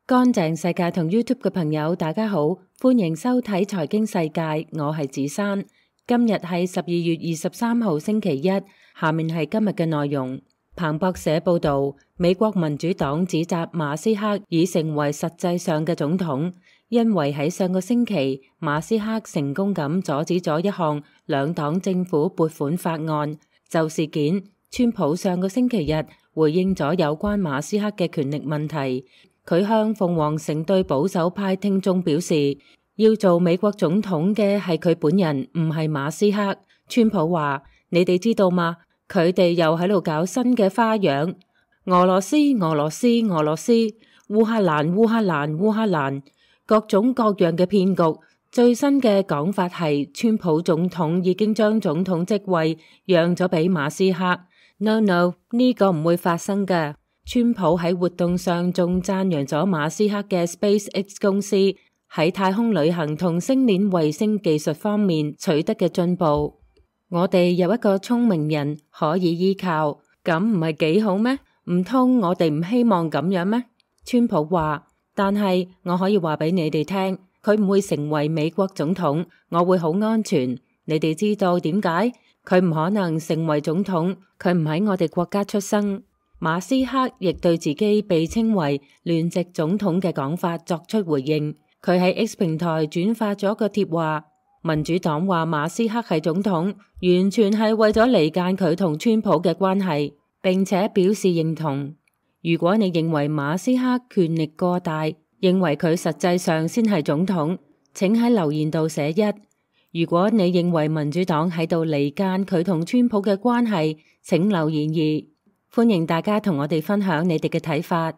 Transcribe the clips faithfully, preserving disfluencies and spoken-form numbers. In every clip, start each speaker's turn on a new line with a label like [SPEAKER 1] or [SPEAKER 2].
[SPEAKER 1] 乾淨世界同 YouTube 嘅朋友，大家好，歡迎收睇財經世界，我係子珊。今日係十二月二十三號星期一，下面係今日嘅內容。彭博社報道，美國民主黨指責馬斯克已成為實際上嘅總統，因為喺上個星期，馬斯克成功咁阻止咗一項兩黨政府撥款法案。就事件，川普上個星期日回應咗有關馬斯克嘅權力問題。佢向鳳凰城對保守派聽眾表示，要做美國總統嘅係佢本人，唔係馬斯克。川普話：你哋知道嗎？佢哋又喺度搞新嘅花樣，俄羅斯、俄羅斯、俄羅斯，烏克蘭、烏克蘭、烏克蘭，各種各樣嘅騙局。最新嘅講法係，川普總統已經將總統職位讓咗俾馬斯克。No no， 呢個唔會發生㗎。川普喺活動上仲讚揚咗馬斯克嘅 SpaceX 公司喺太空旅行同星鏈衛星技術方面取得嘅進步。我哋有一個聰明人可以依靠，咁唔係幾好咩？唔通我哋唔希望咁樣咩？川普話，但係我可以話俾你哋聽，佢唔會成為美國總統，我會好安全。你哋知道點解？佢唔可能成為總統，佢唔喺我哋國家出生。馬斯克亦對自己被稱為聯席總統嘅講法作出回應。佢喺 X 平台轉發咗個貼話，民主黨話馬斯克係總統，完全係為咗離間佢同川普嘅關係，並且表示認同。如果你認為馬斯克權力過大，認為佢實際上先係總統，請喺留言度寫一。如果你認為民主黨喺度離間佢同川普嘅關係，請留言二。歡迎大家同我哋分享你哋嘅睇法。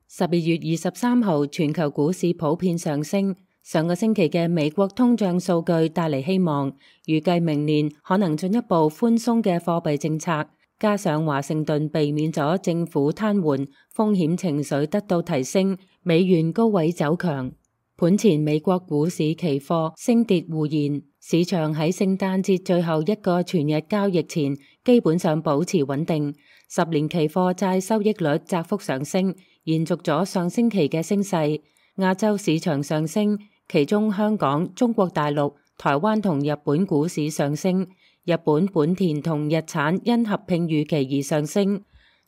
[SPEAKER 1] 十二月二十三號，全球股市普遍上升。上個星期嘅美國通脹數據帶嚟希望，預計明年可能進一步寬鬆嘅貨幣政策，加上華盛頓避免咗政府癱瘓，風險情緒得到提升，美元高位走強。盤前美國股市期貨升跌互現，市場喺聖誕節最後一個全日交易前基本上保持穩定。十年期貨債收益率窄幅上升，延續咗上星期嘅升勢。亞洲市場上升，其中香港、中國大陸、台灣同日本股市上升。日本本田同日產因合併預期而上升。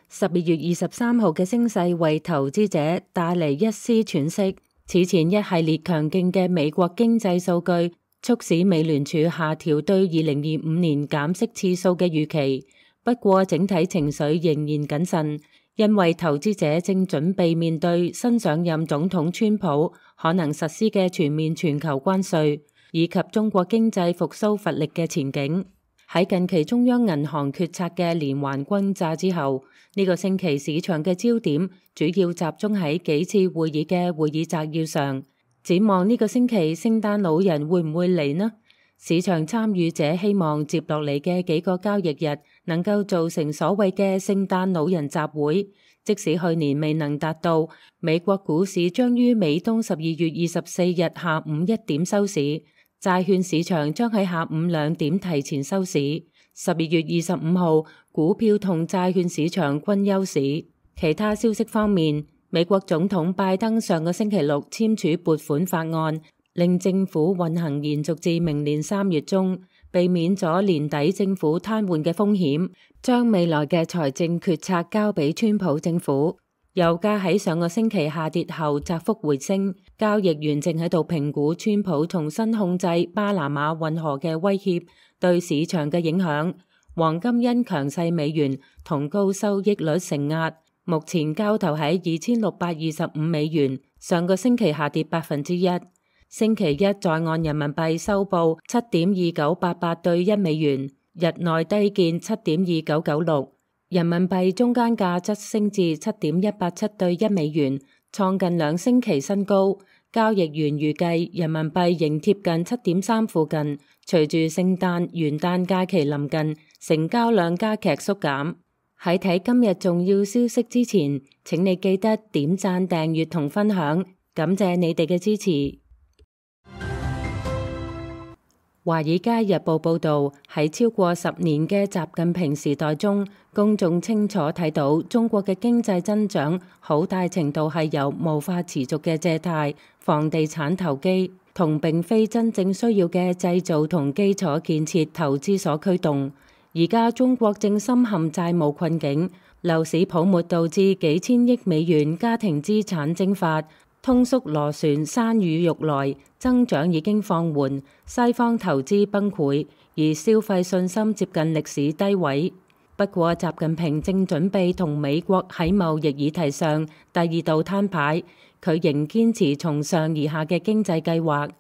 [SPEAKER 1] 十二月二十三號嘅升勢為投資者帶嚟一絲喘息。此前一系列強勁嘅美國經濟數據，促使美聯儲下調對二零二五年減息次數嘅預期。不過整體情緒仍然謹慎，因為投資者正準備面對新上任總統川普可能實施嘅全面全球關稅，以及中國經濟復甦乏力嘅前景。喺近期中央銀行決策嘅連環轟炸之後，呢、這個星期市場嘅焦點主要集中喺幾次會議嘅會議摘要上。展望呢個星期聖誕老人會唔會嚟呢？市場參與者希望接落嚟嘅幾個交易日能夠造成所謂嘅聖誕老人集會，即使去年未能達到，美國股市將於美東十二月二十四日下午一點收市。債券市場將喺下午兩點提前收市。十二月二十五號，股票同債券市場均休市。其他消息方面，美國總統拜登上個星期六簽署撥款法案，令政府運行延續至明年三月中，避免咗年底政府癱瘓嘅風險，將未來嘅財政決策交俾川普政府。油價喺上個星期下跌後窄幅回升，交易員正喺度評估川普重新控制巴拿馬運河嘅威脅對市場嘅影響。黃金因強勢美元同高收益率承壓，目前交投喺二千六百二十五美元，上個星期下跌百分之一。星期一在岸人民幣收報七點二九八八對一美元，日內低見七點二九九六。人民幣中間價則升至七點一八七對一美元，創近兩星期新高。交易員預計人民幣仍貼近七點三附近。隨住聖誕、元旦假期臨近，成交量加劇縮減。喺睇今日重要消息之前，請你記得點讚、訂閱同分享，感謝你哋嘅支持。華爾街日報報導，喺超過十年嘅習近平時代中，公眾清楚睇到中國嘅經濟增長好大程度係由無法持續嘅借貸、房地產投機同並非真正需要嘅製造同基礎建設投資所驅動。而家中國正深陷債務困境，樓市泡沫導致幾千億美元家庭資產蒸發。通縮螺旋山雨欲來，增長已經放緩，西方投資崩潰，而消費信心接近歷史低位。不過，習近平正準備同美國喺貿易議題上第二度攤牌，佢仍堅持從上而下嘅經濟計劃。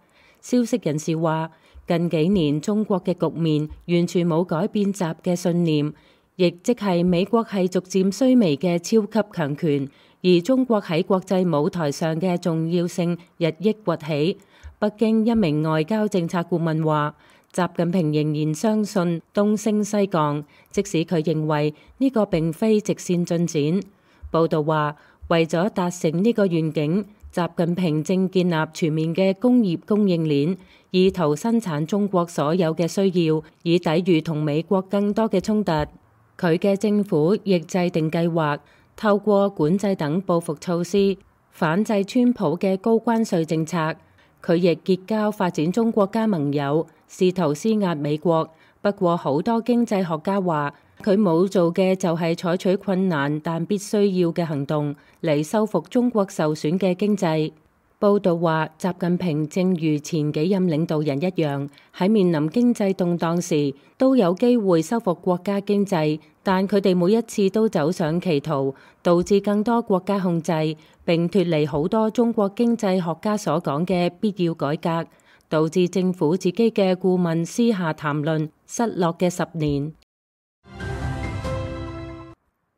[SPEAKER 1] 消息人士話，近幾年中國嘅局面完全冇改變習嘅信念，亦即係美國係逐漸衰微嘅超級強權。而中國喺國際舞台上嘅重要性日益崛起。北京一名外交政策顧問話，習近平仍然相信東升西降，即使佢認為呢個並非直線進展。報道話，為咗達成呢個願景，習近平正建立全面嘅工業供應鏈，意圖生產中國所有嘅需要，以抵禦同美國更多嘅衝突。佢嘅政府亦制定計劃，透過管制等報復措施，反制川普嘅高關稅政策。佢亦結交發展中國家盟友，試圖施壓美國。不過好多經濟學家話，佢冇做嘅就係採取困難但必須要嘅行動嚟修復中國受損嘅經濟。報道話，習近平正如前幾任領導人一樣，喺面臨經濟動盪時都有機會修復國家經濟，但佢哋每一次都走上歧途，導致更多國家控制，並脫離好多中國經濟學家所講嘅必要改革，導致政府自己嘅顧問私下談論失落嘅十年。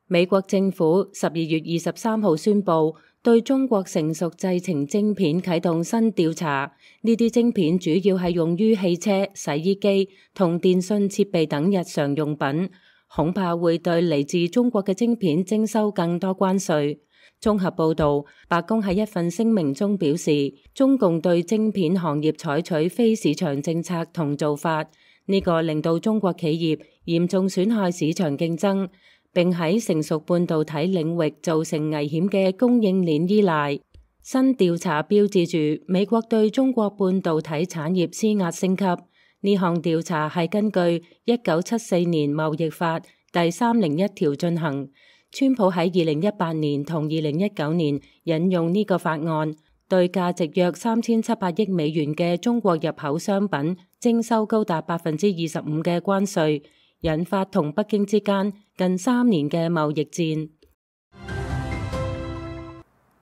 [SPEAKER 1] 美國政府十二月二十三號宣布，對中國成熟製程晶片啟動新調查。呢啲晶片主要係用於汽車、洗衣機同電信設備等日常用品，恐怕會對嚟自中國嘅晶片徵收更多關稅。綜合報導，白宮喺一份聲明中表示，中共對晶片行業採取非市場政策同做法，呢個令到中國企業嚴重損害市場競爭，並喺成熟半導體領域造成危險嘅供應鏈依賴。新調查標誌住美國對中國半導體產業施壓升級。呢項調查係根據一九七四年貿易法第三零一條進行。川普喺二零一八年同二零一九年引用呢個法案，對價值約三千七百億美元嘅中國入口商品徵收高達百分之二十五嘅關稅，引發同北京之間近三年嘅貿易戰。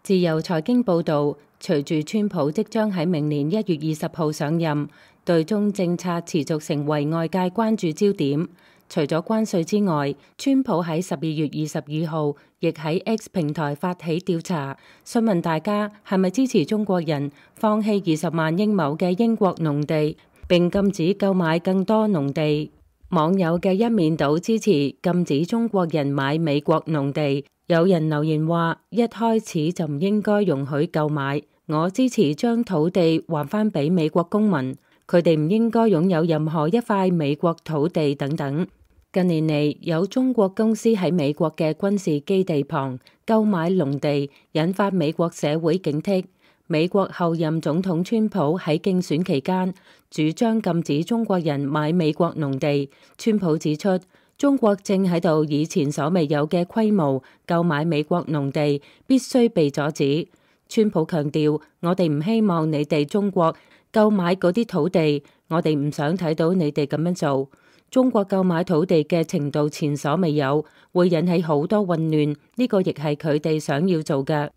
[SPEAKER 1] 自由財經報導，隨住川普即將喺明年一月二十號上任，對中政策持續成為外界關注焦點。除咗關稅之外，川普喺十二月二十二號亦喺 X 平台發起調查，詢問大家係咪支持中國人放棄二十萬英畝嘅英國農地，並禁止購買更多農地。網友嘅一面倒支持禁止中國人買美國農地，有人留言話：一開始就唔應該容許購買，我支持將土地還返俾美國公民，佢哋唔應該擁有任何一塊美國土地等等。近年嚟，有中國公司喺美國嘅軍事基地旁購買農地，引發美國社會警惕。美國後任總統川普喺競選期間主張禁止中國人買美國農地。川普指出，中國正喺度以前所未有嘅規模購買美國農地，必須被阻止。川普強調，我哋唔希望你哋中國購買嗰啲土地，我哋唔想睇到你哋咁樣做。中國購買土地嘅程度前所未有，會引起好多混亂，呢個亦係佢哋想要做嘅。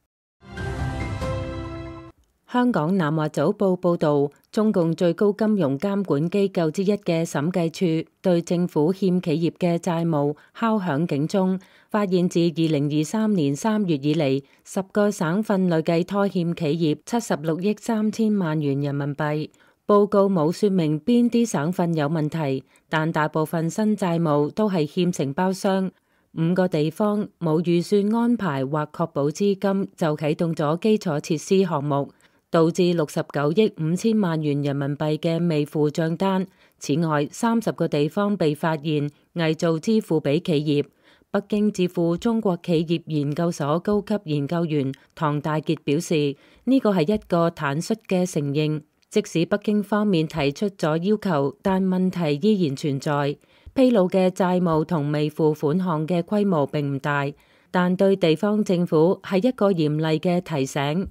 [SPEAKER 1] 香港南華早報報導，中共最高金融監管機構之一嘅審計處對政府欠企業嘅債務敲響警鐘，發現自二零二三年三月以嚟，十個省份累計拖欠企業七十六億三千萬元人民幣。報告冇說明邊啲省份有問題，但大部分新債務都係欠承包商。五個地方冇預算安排或確保資金就啟動咗基礎設施項目，導致六十九億五千萬元人民幣嘅未付賬單，此外，三十個地方被發現偽造支付俾企業。北京智庫中國企業研究所高級研究員唐大傑表示，呢個係一個坦率嘅承認，即使北京方面提出咗要求，但問題依然存在。披露嘅債務同未付款項嘅規模並唔大，但對地方政府係一個嚴厲嘅提醒。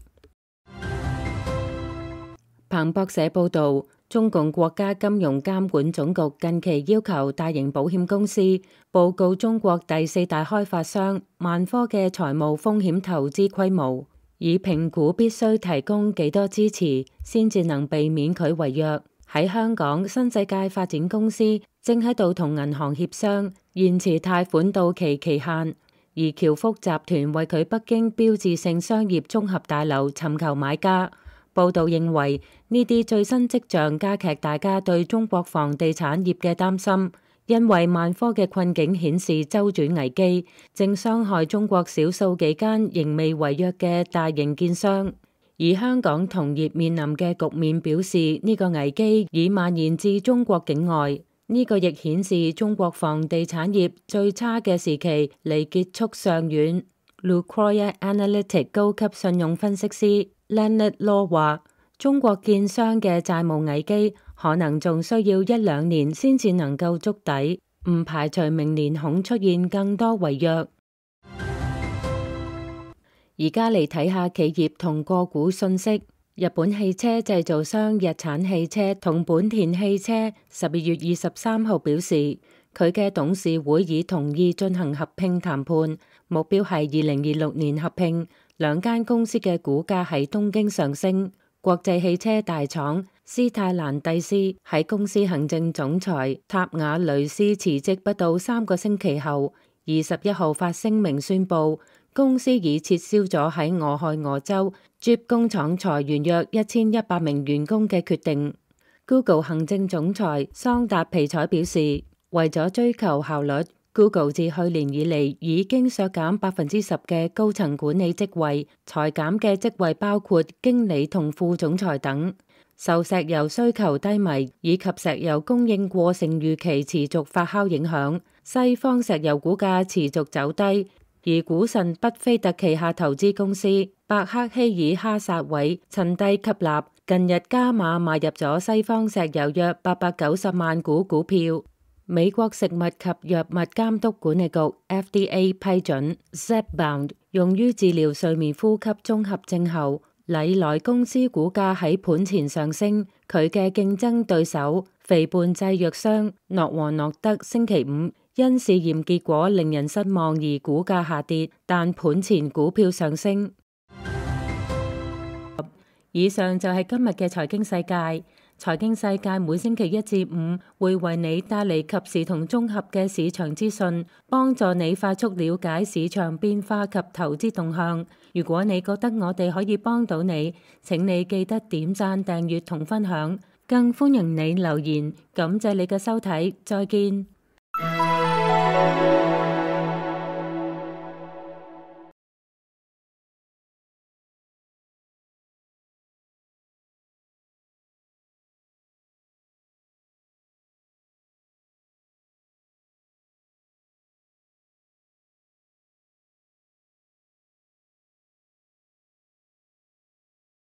[SPEAKER 1] 彭博社報導，中共國家金融監管總局近期要求大型保險公司報告中國第四大開發商萬科嘅財務風險投資規模，以評估必須提供幾多支持先至能避免佢違約。喺香港，新世界發展公司正喺度同銀行協商延遲貸款到期期限，而僑福集團為佢北京標誌性商業綜合大樓尋求買家。報道認為，呢啲最新跡象加劇大家對中國房地產業嘅擔心，因為萬科嘅困境顯示周轉危機正傷害中國少數幾間仍未違約嘅大型建商。而香港同業面臨嘅局面表示，呢個危機已蔓延至中國境外。呢個亦顯示中國房地產業最差嘅時期離結束尚遠。Lucroy Analytics 高級信用分析師 Leonard Law 話，中國建商嘅債務危機可能仲需要一兩年先至能夠築底，唔排除明年恐出現更多違約。而家嚟睇下企業同個股信息。日本汽車製造商日產汽車同本田汽車十二月二十三號表示，佢嘅董事會已同意進行合併談判，目標係二零二六年合併。兩間公司嘅股價喺東京上升。國際汽車大廠斯泰蘭蒂斯喺公司行政總裁塔瓦雷斯辭職不到三個星期後，二十一號發聲明宣布，公司已撤銷咗喺俄亥俄州 Jeep 工廠裁員約一千一百名員工嘅決定。Google 行政總裁桑達皮采表示，為咗追求效率，Google 自去年以嚟已經削減百分之十嘅高層管理職位，裁減嘅職位包括經理同副總裁等。受石油需求低迷以及石油供應過剩預期持續發酵影響，西方石油股價持續走低，而股神畢菲特旗下投資公司伯克希爾哈撒韋趁低吸納，近日加碼買入咗西方石油約八百九十萬股股票。美國食物及藥物監督管理局 F D A 批准 Zepbound 用於治療睡眠呼吸綜合症後，禮來公司股價喺盤前上升。佢嘅競爭對手肥胖製藥商諾和諾德星期五因試驗結果令人失望而股價下跌，但盤前股票上升。以上就係今日嘅財經世界。財經世界每星期一至五會為你帶嚟及時同綜合嘅市場資訊，幫助你快速了解市場變化及投資動向。如果你覺得我哋可以幫到你，請你記得點讚、訂閱同分享，更歡迎你留言。感謝你嘅收睇，再見。